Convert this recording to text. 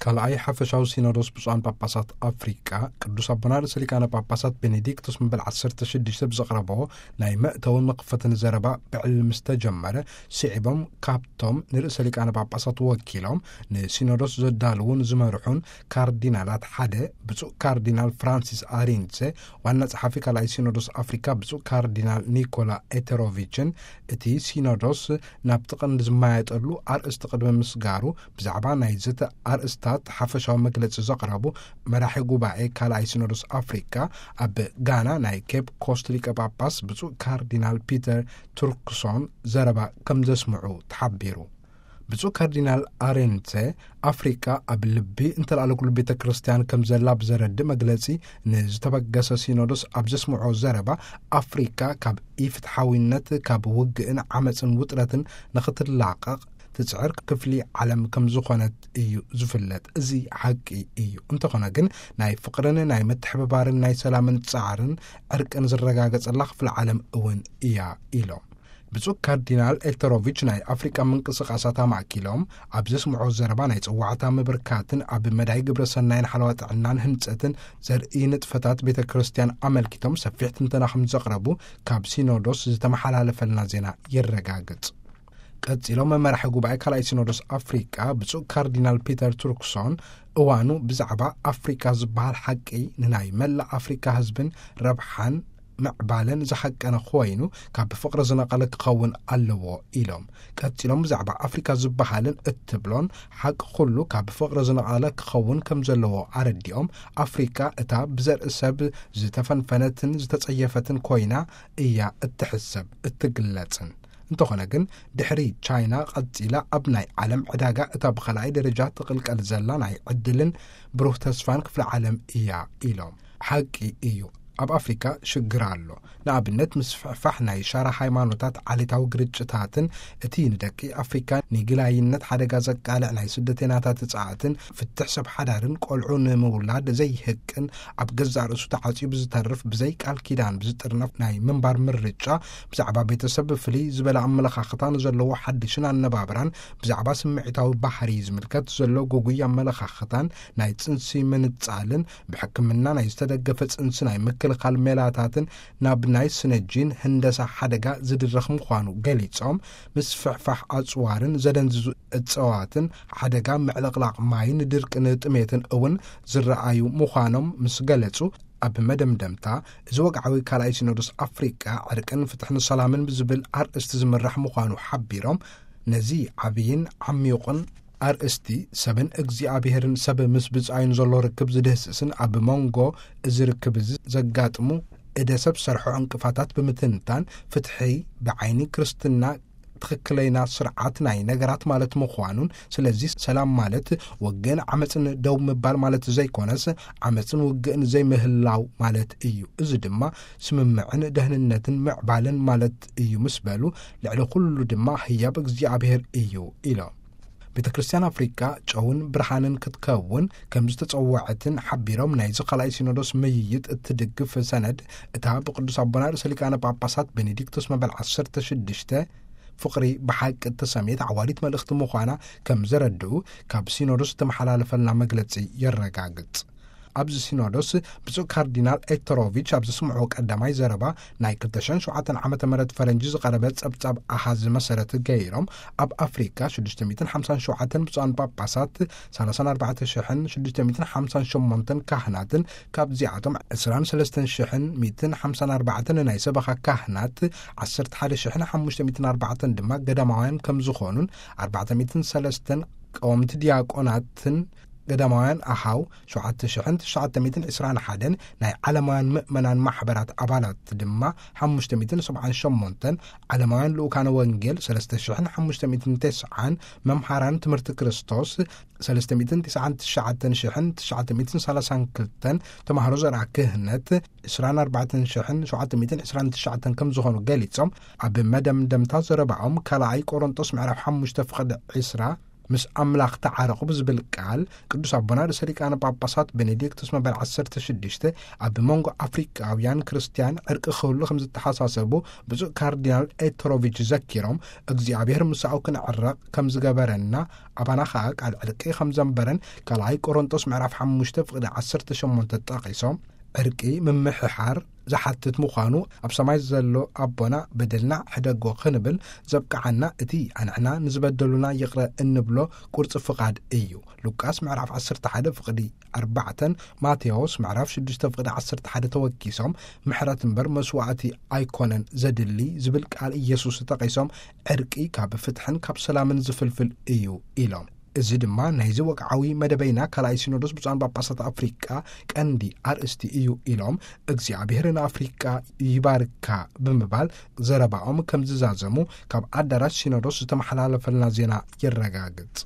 ካልኣይ ሓፈሻዊ ሲኖዶስ ብፁዓን ጳጳሳት ኣፍሪቃ፣ ቅዱስ ኣቦና ርእሰ ሊቃነ ጳጳሳት ቤኔዲክቶስ መበል ዓሰርተ ሽዱሽተ ብዘቕረቦ ናይ መእተውን መኽፈትን ዘረባ ብዕል ምስ ተጀመረ፣ ስዒቦም ካብቶም ንርእሰ ሊቃነ ጳጳሳት ወኪሎም ንሲኖዶስ ዘዳልዉን ዝመርሑን ካርዲናላት ሓደ፣ ብፁዕ ካርዲናል ፍራንሲስ ኣሪንዘ፣ ዋና ጸሓፊ ካልኣይ ሲኖዶስ ኣፍሪካ ብፁዕ ካርዲናል ኒኮላ ኤተሮቪችን፣ እቲ ሲኖዶስ ናብቲ ቀንዲ ዝመያየጠሉ ኣርእስቲ ቅድሚ ምስጋሩ፣ ብዛዕባ ናይ ዘተ ኣርእስታት ሓፈሻዊ መግለጺ ዘቕረቡ መራሒ ጉባኤ ካልኣይ ሲኖዶስ ኣፍሪካ፣ ኣብ ጋና ናይ ኬፕ ኮስት ሊቀ ጳጳስ ብፁዕ ካርዲናል ፒተር ቱርክሶን ዘረባ ከም ዘስምዑ ተሓቢሩ። ብፁዕ ካርዲናል ኣሬንተ፣ ኣፍሪካ ኣብ ልቢ እንተለኣለ ኩሉ ቤተ ክርስቲያን ከም ዘላ ብዘረድእ መግለጺ፣ ንዝተበገሰ ሲኖዶስ ኣብ ዘስምዖ ዘረባ፣ ኣፍሪካ ካብ ኢፍትሓዊነት፣ ካብ ውግእን ዓመፅን ውጥረትን ንኽትላቐቕ ትጽዕር ክፍሊ ዓለም ከም ዝኾነት እዩ ዝፍለጥ። እዚ ሓቂ እዩ። እንተኾነ ግን፣ ናይ ፍቕርን ናይ ምትሕብባርን ናይ ሰላምን ጻዕርን ዕርቅን ዝረጋገጸላ ክፍሊ ዓለም እውን እያ ኢሎም። ብፁዕ ካርዲናል ኤልተሮቪች ናይ ኣፍሪቃ ምንቅስቓሳት ኣማእኪሎም ኣብ ዘስምዖ ዘረባ፣ ናይ ጽዋዕታ ምብርካትን ኣብ መዳይ ግብረ ሰናይን ሓለዋ ጥዕናን ህንጸትን ዘርኢ ንጥፈታት ቤተ ክርስቲያን ኣመልኪቶም ሰፊሕ ትንተና ከም ዘቕረቡ ካብ ሲኖዶስ ዝተመሓላለፈልና ዜና የረጋግጽ። ቀጺሎም መራሒ ጉባኤ ካልኣይ ሲኖዶስ ኣፍሪቃ ብፁዕ ካርዲናል ፒተር ቱርክሶን፣ እዋኑ ብዛዕባ ኣፍሪቃ ዝበሃል ሓቂ ንናይ መላእ ኣፍሪቃ ህዝብን ረብሓን ምዕባለን ዝሓቀነ ኮይኑ፣ ካብ ፍቕሪ ዝነቐለ ክኸውን ኣለዎ ኢሎም። ቀጺሎም ብዛዕባ ኣፍሪካ ዝበሃልን እትብሎን ሓቂ ኩሉ ካብ ፍቕሪ ዝነቐለ ክኸውን ከም ዘለዎ ኣረዲኦም፣ ኣፍሪካ እታ ብዘርኢ ሰብ ዝተፈንፈነትን ዝተጸየፈትን ኮይና እያ እትሕሰብ እትግለጽን። እንተኾነ ግን፣ ድሕሪ ቻይና ቀጺላ ኣብ ናይ ዓለም ዕዳጋ እታ ብኻልኣይ ደረጃ ትቕልቀል ዘላ ናይ ዕድልን ብሩህ ተስፋን ክፍለ ዓለም እያ ኢሎም። ሓቂ እዩ፣ ኣብ ኣፍሪካ ሽግር ኣሎ። ንኣብነት፣ ምስፍሕፋሕ ናይ ሻራ ሃይማኖታት፣ ዓሌታዊ ግርጭታትን እቲ ንደቂ ኣፍሪካ ንግላይነት ሓደጋ ዘቃልዕ ናይ ስደተኛታት ጻዕትን ፍትሕ ሰብ ሓዳርን ቆልዑ ንምውላድ ዘይህቅን ኣብ ገዛእ ርእሱ ተዓጽዩ ብዝተርፍ ብዘይ ቃል ኪዳን ብዝጥርነፍ ናይ ምንባር ምርጫ፣ ብዛዕባ ቤተሰብ ፍልይ ዝበለ ኣመለኻኽታ ንዘለዎ ሓድሽን ኣነባብራን፣ ብዛዕባ ስምዒታዊ ባህሪ ዝምልከት ዘሎ ግጉይ ኣመለኻኽታን ናይ ጽንሲ ምንጻልን ብሕክምና ናይ ዝተደገፈ ጽንሲ ናይ ምክልኻል ሜላታትን ናብ ናይ ስነጂን ህንደሳ ሓደጋ ዝድረኽ ምዃኑ ገሊጾም፣ ምስፍሕፋሕ ኣጽዋርን ዘደንዝዙ እጸዋትን ሓደጋ ምዕልቕላቕ ማይን ድርቅን ጥሜትን እውን ዝረኣዩ ምዃኖም ምስ ገለጹ፣ ኣብ መደምደምታ፣ እዚ ወግዓዊ ካልኣይ ሲኖዶስ ኣፍሪቃ ዕርቅን ፍትሕን ሰላምን ብዝብል ኣርእስቲ ዝምራሕ ምዃኑ ሓቢሮም፣ ነዚ ዓብይን ዓሚቑን ኣርእስቲ፣ ሰብን እግዚኣብሔርን ሰብ ምስ ብጻዩን ዘሎ ርክብ ዝድህስስን ኣብ መንጎ እዚ ርክብ እዚ ዘጋጥሙ እደ ሰብ ሰርሖ ዕንቅፋታት ብምትንታን፣ ፍትሒ ብዓይኒ ክርስትና ትኽክለይና ስርዓት ናይ ነገራት ማለት ምዃኑን፣ ስለዚ ሰላም ማለት ውግእን ዓመፅን ደው ምባል ማለት ዘይኮነስ፣ ዓመፅን ውግእን ዘይምህላው ማለት እዩ። እዚ ድማ ስምምዕን ደህንነትን ምዕባለን ማለት እዩ ምስ በሉ፣ ልዕሊ ኩሉ ድማ ህያብ እግዚኣብሔር እዩ ኢሎም። ቤተ ክርስቲያን ኣፍሪካ ጨውን ብርሃንን ክትከውን ከም ዝተጸወዐትን ሓቢሮም፣ ናይዚ ካልኣይ ሲኖዶስ ምይይጥ እትድግፍ ሰነድ፣ እታ ብቅዱስ ኣቦና ርእሰ ሊቃነ ጳጳሳት ቤኔዲክቶስ መበል ዓሰርተ ሽዱሽተ ፍቕሪ ብሓቂ እተሰምየት ዓዋዲት መልእኽቲ ምዃና ከም ዘረድኡ ካብ ሲኖዶስ ዝተመሓላለፈልና መግለጺ የረጋግጽ። ኣብዚ ሲኖዶስ ብፁዕ ካርዲናል ኤክተሮቪች ኣብ ዘስምዕዎ ቀዳማይ ዘረባ፣ ናይ ክልተ ሽሕን ሸውዓተን ዓመተ ምህረት ፈረንጂ ዝቐረበ ጸብጻብ ኣሃዝ መሰረት ገይሮም፣ ኣብ ኣፍሪካ ሽዱሽተ ሚእትን ሓምሳን ሸውዓተን ብፁዓን ጳጳሳት፣ ሰላሳን ኣርባዕተ ሽሕን ሽዱሽተ ሚእትን ሓምሳን ሸሞንተን ካህናትን፣ ካብዚኣቶም ዕስራን ሰለስተን ሽሕን ሚእትን ሓምሳን ኣርባዕተን ናይ ሰበኻ ካህናት፣ ዓሰርተ ሓደ ሽሕን ሓሙሽተ ሚእትን ኣርባዕተን ድማ ገዳማውያን ከም ዝኾኑን፣ ኣርባዕተ ሚእትን ሰለስተን ቀወምቲ ዲያቆናትን ገዳማውያን ኣሃው፣ ሸውዓተ ሽሕን ትሽዓተ ሚእትን ዕስራን ሓደን ናይ ዓለማውያን ምእመናን ማሕበራት ኣባላት ድማ ሓሙሽተ ሚእትን ሰብዓን ሸሞንተን፣ ዓለማውያን ልኡካነ ወንጌል ሰለስተ ሽሕን ሓሙሽተ ሚእትን ተስዓን፣ መምሃራን ትምህርቲ ክርስቶስ ሰለስተ ሚእትን ትስዓን ትሽዓተን ሽሕን ትሽዓተ ሚእትን ሰላሳን ክልተን፣ ተማሃሮ ዘርኣ ክህነት ዕስራን ኣርባዕተን ሽሕን ሸውዓተ ሚእትን ዕስራን ትሽዓተን ከም ዝኾኑ ገሊጾም፣ ኣብ መደምደምታ ዘረባኦም ካልኣይ ቆሮንጦስ ምዕራፍ ሓሙሽተ ፍቕዲ ዕስራ ምስ ኣምላኽ ተዓረቑ ብዝብል ቃል፣ ቅዱስ ኣቦና ርእሰ ሊቃነ ጳጳሳት ቤኔዲክቶስ መበል ዓሰርተ ሽዱሽተ ኣብ መንጎ ኣፍሪቃውያን ክርስትያን ዕርቂ ክህሉ ከም ዝተሓሳሰቡ ብፁዕ ካርዲናል ኤትሮቪች ዘኪሮም፣ እግዚኣብሔር ምሳኡ ክንዕረቕ ከም ዝገበረና፣ ኣባና ኸኣ ቃል ዕርቂ ከም ዘንበረን ካልኣይ ቆሮንጦስ ምዕራፍ ሓሙሽተ ፍቕዲ ዓሰርተ ሸሞንተ ጠቒሶም፣ ዕርቂ ምምሕሓር ዝሓትት ምዃኑ፣ ኣብ ሰማይ ዘሎ ኣቦና በደልና ሕደጎ ክንብል ዘብቅዓና እቲ ኣንሕና ንዝበደሉና ይቕረ እንብሎ ቁርጺ ፍቓድ እዩ። ሉቃስ ምዕራፍ ዓሰርተ ሓደ ፍቕዲ ኣርባዕተን ማቴዎስ ምዕራፍ ሽዱሽተ ፍቕዲ ዓሰርተ ሓደ ተወኪሶም፣ ምሕረት እምበር መስዋዕቲ ኣይኮነን ዘድሊ ዝብል ቃል ኢየሱስ ተጠቒሶም፣ ዕርቂ ካብ ፍትሕን ካብ ሰላምን ዝፍልፍል እዩ ኢሎም። እዚ ድማ ናይዚ ወግዓዊ መደበይና ካልኣይ ሲኖዶስ ብፁዓን ጳጳሳት ኣፍሪቃ ቀንዲ ኣርእስቲ እዩ ኢሎም፣ እግዚኣብሔር ንኣፍሪቃ ይባርካ ብምባል ዘረባኦም ከም ዝዛዘሙ ካብ ኣዳራሽ ሲኖዶስ ዝተመሓላለፈልና ዜና የረጋግጽ።